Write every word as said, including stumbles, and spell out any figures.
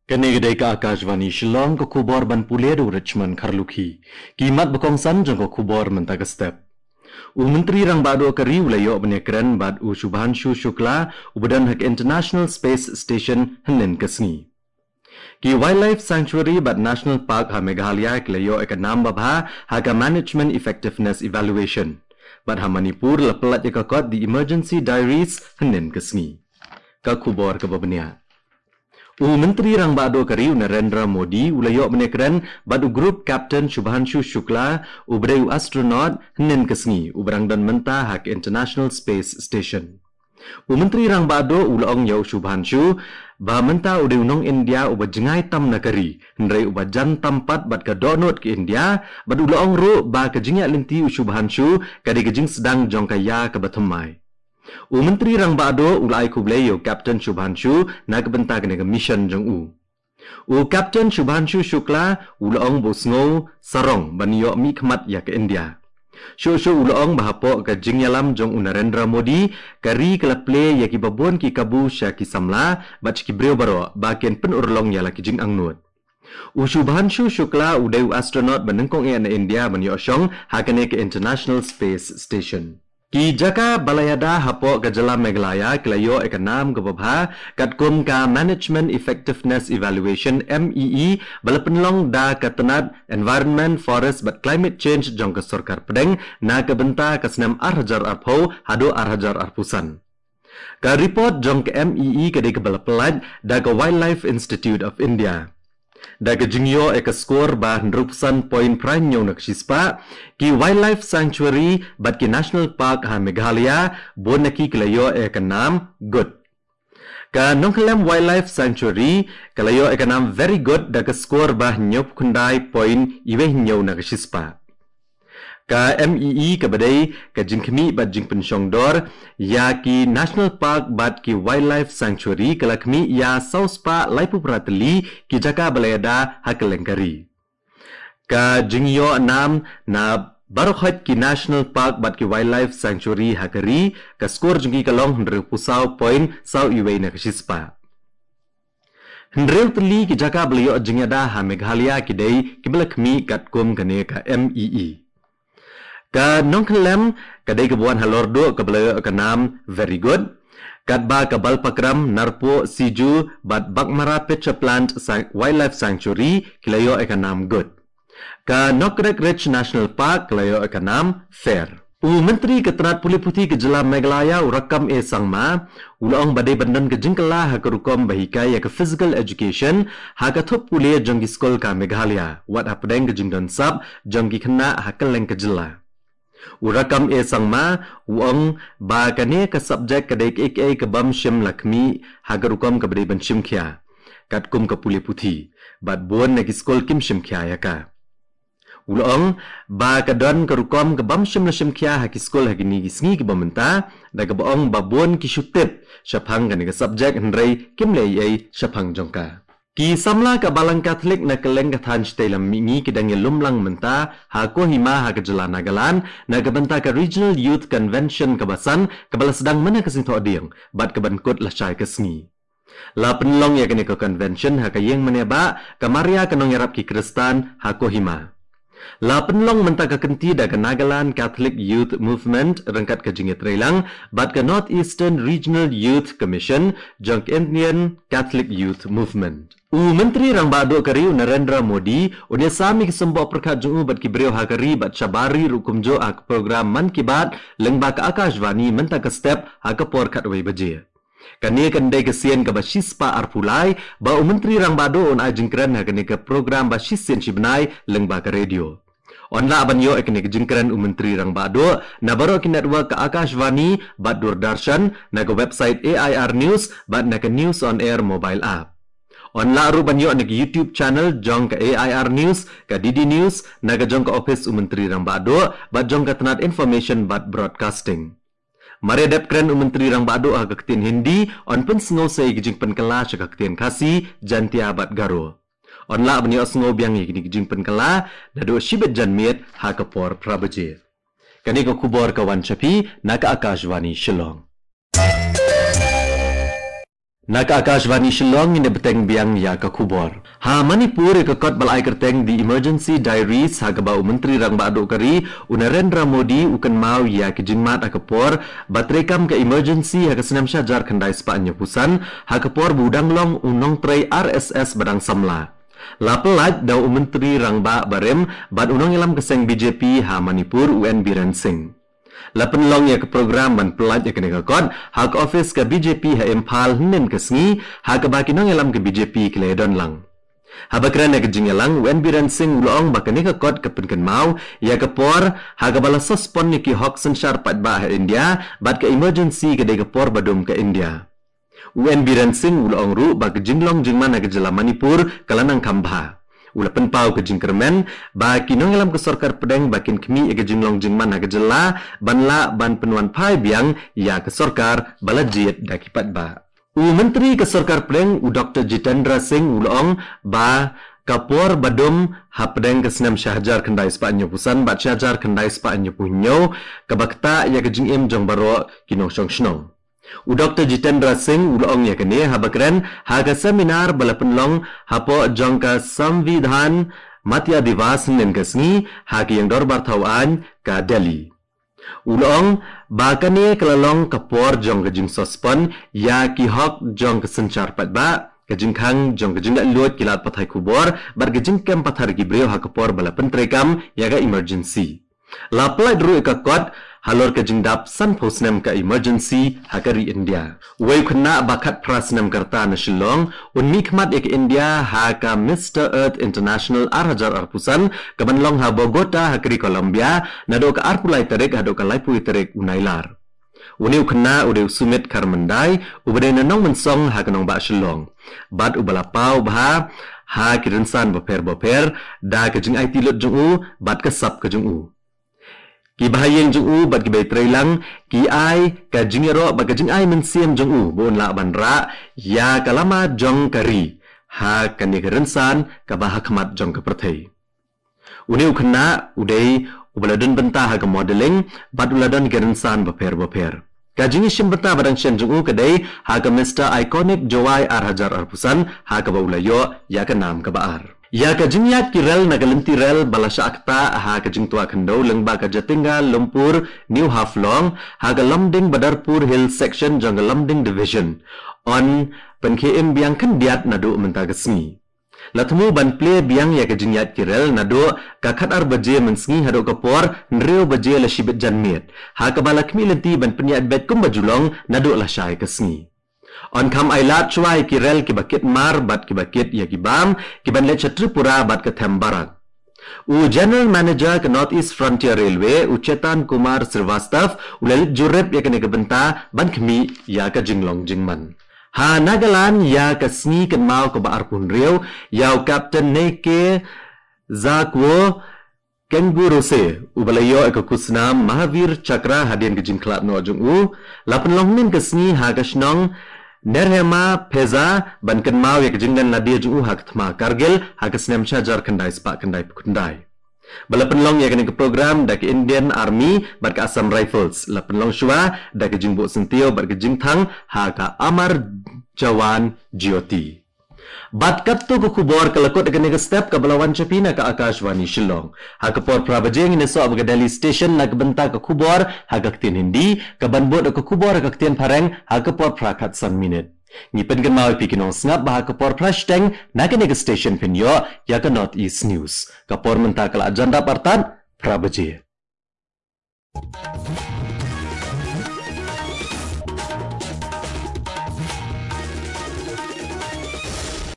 Kane ka dei ka Akashvani Shillong, ka khubor ban pule da u Richmond Kharlukhi. Ki mat ba kongsan jong ka khubor mynta ka step. U Myntri Rangbah Duh ka ri u la ïoh ban ïakren bad u Shubhanshu Shukla, uba don ha ka International Space Station hynnin ka sngi. Ki Wildlife Sanctuary bad National Park ha Meghalaya ki la ïoh ïa ka nam babha ha ka Management Effectiveness Evaluation. Bad ha Manipur la pyllait ïa ka kot The Emergency Diaries hynnin ka sngi. Ka khubor kaba bniah. U Myntri Rangbah Duh ka ri u Narendra Modi u la ïoh ban ïakren bad u Group Captain Shubhanshu Shukla, uba dei u astronaut, hynnin ka sngi, uba dang don mynta ha ka International Space Station. U Myntri Rangbah Duh u la ong ïa u Shubhanshu ba mynta u dei u nong India uba jngai tam na ka ri, hynrei uba jan tam pat bad ka dohnud ka India, bad u la ong ruh ba ka jingïaid lynti u Shubhanshu ka dei ka jingsdang jong ka ïa kaba thymmai. U Myntri Rangbah Duh u la ai khublei ïa u Captain Shubhanshu na ka bynta kane ka mission jong u. U Captain Shubhanshu Shukla u la ong ba u sngew sarong ban ïoh mihkhmat ïa ka India. Shuh shuh u la ong ba hapoh ka jingïalam jong u Narendra Modi, ka ri ka la plie ïa kiba bun ki kabu sha ki samla bad sha ki briew baroh ba kin pynurlong ïa la ki jingangnud. U Shubhanshu Shukla u dei u astronaut ba nyngkong eh na India ban ïoh shong ha kane ka International Space Station. Ki jaka ba la ïada hapoh ka jylla Meghalaya ki la ïoh ïa ka nam kaba bha katkum ka Management Effectiveness Evaluation, M E E, ba la pynlong da ka tnat Environment, Forest bad Climate Change jong ka Sorkar Pdeng na ka bynta ka snem ar hajar arphew haduh ar hajar arphew san. Ka report jong ka M E E ka dei kaba la pyllait da ka Wildlife Institute of India. Da ka jingïoh ïa ka score ba hynriewphew san point phra hynñiew na ka shispah, ki Wildlife Sanctuary bad ki National Park ha Meghalaya bun na ki ki la ïoh ïa ka nam good. Ka Nongkhyllem Wildlife Sanctuary ka la ïoh ïa ka nam very good da ka score ba hynñiewphew khyndai point iwei hynñiew na ka shispah. Ka M E E kaba dei ka jingkhmih bad jingpynshongdor ïa ki National Park bad ki Wildlife Sanctuary ka la khmih ïa saw spah laiphew phra tylli ki jaka ba la ïada ha kylleng ka ri. Ka jingïoh nam na baroh khoit ki National Park bad ki Wildlife Sanctuary ha ka ri, ka score jong ki ka long hynriewphew saw point saw iwei na ka shispah. Hynriew tylli ki jaka ba la ïoh jingïada ha Meghalaya ki dei kiba la khmih katkum kane ka M E E. Ka Nongkhyllem ka dei kaba wan halor duh kaba la ïoh ka nam very good. Katba ka Balpakram, Narpuh, Siju bad Baghmara Pitcher Plant San-, Wildlife Sanctuary ki la ïoh ïa ka nam good. Ka Nokrek Ridge National Park ka la ïoh ïa ka nam fair. U Myntri ka tnat pule puthi ka jylla Meghalaya u Rakkam A Sangma u la ong ba dei ban don ka jingkylla ha ka rukom ba hikai ïa ka physical education ha ka thup pule jong ki skul ka Meghalaya, wat hapdeng ka jingdon sap jong ki khynnah ha kylleng ka jylla. U Rakkam A Sangma u ong ba kane ka subject ka dei kaei kaei ka bym shym la khmih ha ka rukom kaba dei ban shim khia katkum ka pule puthi, bad bun na ki skul kim shim khia ïa ka. U la ong ba ka don ka rukom ka bym shym la shim khia ha ki skul ha kine ki sngi kiba mynta, da kaba ong ba bun ki shu tip shaphang kane ka subject hynrei kim leh ei ei shaphang jong ka. Ki samla ka Balang Katholik na kylleng ka thaiñ shatei lam mihngi ki dang ïalum lang mynta ha Kohima ha ka jylla Nagaland na ka bynta ka Regional Youth Convention kaba san kaba la sdang mynne ka sngi Thohdieng bad kaban kut lashai ka sngi. La pynlong ïa kane ka convention ha ka ïing mane ba ka Maria ka Nongïarap ki Khristan ha Kohima. La pynlong mynta ka kynti da ka Nagaland Catholic Youth Movement ryngkat ka jingïatreilang bad ka North Eastern Regional Youth Commission jong ka Indian Catholic Youth Movement. U Myntri Rangbah Duh ka ri u Narendra Modi un ïasam ïa ki symboh pyrkhat jong u bad ki briew ha ka ri bad shabar ri ruh kumjuh ha ka program Mann Ki Baat lyngba ka Akashvani mynta ka step ha ka por khatwei baje. Kane kan dei ka sien kaba shispah arphew lai ba u Myntri Rangbah Duh un ai jingkren ha kane ka program ba shisien shibnai lyngba ka radio. Yn lah ban ïoh ïa kane ka jingkren u Myntri Rangbah Duh na baroh ki network ka Akashvani bad Doordarshan, na ka website A I R News bad na ka News on Air mobile app. Yn lah ruh ban ïoh na ka YouTube channel jong ka A I R News, ka D D News, na ka jong ka ophis u Myntri Rangbah Duh bad jong ka tnat Information bad Broadcasting. Mar ïa dep kren u Myntri Rangbah Duh ha ka ktien Hindi, yn pynsngew sa ïa ki jingpynkylla sha ka ktien Khasi, Jaintia bad Garo. Yn lah ban ïohsngew biang ïa kine ki jingpynkylla naduh shibit janmiet ha ka por phra baje. Kane ka khubor ka wan sha phi na ka Akashvani Shillong. Na ka Akashvani Shillong, ngin ïa bteng biang ïa ka khubor. Ha Manipur, ïa ka kot ba la ai kyrteng The Emergency Diaries, ha kaba u Myntri Rangbah Duh ka ri, u Narendra Modi, u kynmaw ïa ka jingmad ha ka por ba treikam ka emergency ha ka snem shihajar khyndai spah hynñiewphew san, ha ka por ba u dang long u nongtrei R S S ba dang samla. La pyllait da u Myntri Rangbah barim bad u nongïalam ka seng B J P ha Manipur, u N Biren Singh. La pynlong ïa ka program ban pyllait ïa kane ka kot ha ka office ka B J P ha Imphal hynnin ka sngi, ha kaba ki nongïalam ka B J P ki la ïadon lang. Haba kren ha ka jingïalang, u N Biren Singh u la ong ba kane ka kot ka pynkynmaw ïa ka por ha kaba la suspend ïa ki hok synshar paidbah ha India, bad ka emergency ka dei ka por badum ka India. U N Biren Singh u la ong ruh ba ka jinglong jingman ha ka jylla Manipur ka la nang kham bha. U la pynpaw ka jingkyrmen ba ki nongïalam ka sorkar pdeng ba kin khmih ïa ka jinglong jingman ha ka jylla, ban lah ban pynwanphai biang ïa ka sorkar ba la jied da ki paidbah. U Myntri ka sorkar pdeng, u Doktor Jitendra Singh, u la ong ba ka por badum hapdeng ka snem shihajar khyndai spah hynñiewphew san bad shihajar khyndai spah hynñiewphew hynñiew kaba ktah ïa ka jingim jong baroh ki nongshong shnong. U Doktor Jitendra Singh u la ong ïa kane haba kren ha ka seminar ba la pynlong hapoh jong ka Samvidhan Matya Divas hynnin ka sngi ha ka ïing dorbar thaw aiñ ka Delhi. U la ong ba kane ka la long ka por jong ka jingsuspend ïa ki hok jong ka synshar paidbah, ka jingkhang jong ka jinglaitluid ki lad pathai khubor, bad ka jingkem pathar ki briew ha ka por ba la pyntreikam ïa ka emergency. La pyllait ruh ïa ka kot halor ka jingdap sanphew snem ka emergency ha ka ri India. Uwei u khynnah ba khatphra snem ka rta na Shillong un mihkhmat ïa ka India ha ka Mister Earth International ar hajar arphew san, kaban long ha Bogota ha ka ri Colombia, naduh ka arphew lai tarik haduh ka laiphew tarik u Nailar. Une u khynnah u dei u Sumit Kharmandai, uba dei na Nongmynsong ha ka nongbah Shillong, bad uba la paw bha ha ki rynsan bapher bapher da ka jingaiti lut jong u bad ka sap ka jong u. Ki bahaïing jong u bad ki bai treilang ki ai ka jingïaroh bad ka jingai mynsiem jong u ba un lah ban rah ïa ka lama jong ka ri ha kane ka rynsan kaba ha khmat jong ka pyrthei. Une u khynnah u dei uba la don bynta ha ka modeling bad u la don ki rynsan bapher bapher. Ka jingïashim bynta ba dang shen jong u ka dei ha ka Mister Iconic Jowai ar hajar arphew san, ha kaba u la ïoh ïa ka nam kaba ar. Ïa ka jingïaid ki rel na ka lynti rel ba la shah ktah ha ka jingtwa khyndew lyngba ka Jatinga Lumpur New Haflong ha ka Lumding Badarpur Hill Section jong ka Lumding Division yn pynkhie im biang khyndiat naduh mynta ka sngi. La thmu ban plie biang ïa ka jingïaid ki rel naduh ka khatar baje mynsngi haduh ka por hynriew baje la shibit janmiet, ha kaba la khmih lynti ban pynïaid beit kumba ju long naduh lashai ka sngi. Yn kham ailad shuwa ïa ki rel kiba kit mar bad kiba kit ïa ki bam kiban leit sha Tripura bad ka Thembarak. U General Manager ka North East Frontier Railway, u Chetan Kumar Srivastava, u la leit jurip ïa kane ka bynta ban khmih ïa ka jinglong jingman. Ha Nagaland, ïa ka sngi kynmaw kaba arphew hynriew ïa u Captain Neike Zakwo Kengurose, uba la ïoh ïa ka khusnam Mahavir Chakra hadien ka jingkhlad noh jong u, la pynlong hynnin ka sngi ha ka shnong Nerhema Pheza ban kynmaw ïa ka jinglen lade jong u ha ka thma Kargil ha ka snem shihajar khyndai spah khyndaiphew khyndai. Ba la pynlong ïa kane ka program da ka Indian Army bad ka Assam Rifles, la pynlong shuwa da ka jingbuh syntiew bad ka jingthang ha ka Amar Jawan Jyoti. Bad katto ka khubor ka la kut ha kane ka step kaba la wan sha phi na ka Akashvani Shillong. Ha ka por phra baje ngin ïasoh bad ka Delhi Station na ka bynta ka khubor ha ka ktien Hindi, kaban bud ka khubor ha ka ktien Phareng ha ka por phra khatsan minit. Ngi pynkynmaw ïa phi ki nongsngap ba ha ka por phra shiteng na kane ka station phin ïoh ïa ka North East News. Ka por mynta ka la jan dap artat phra baje.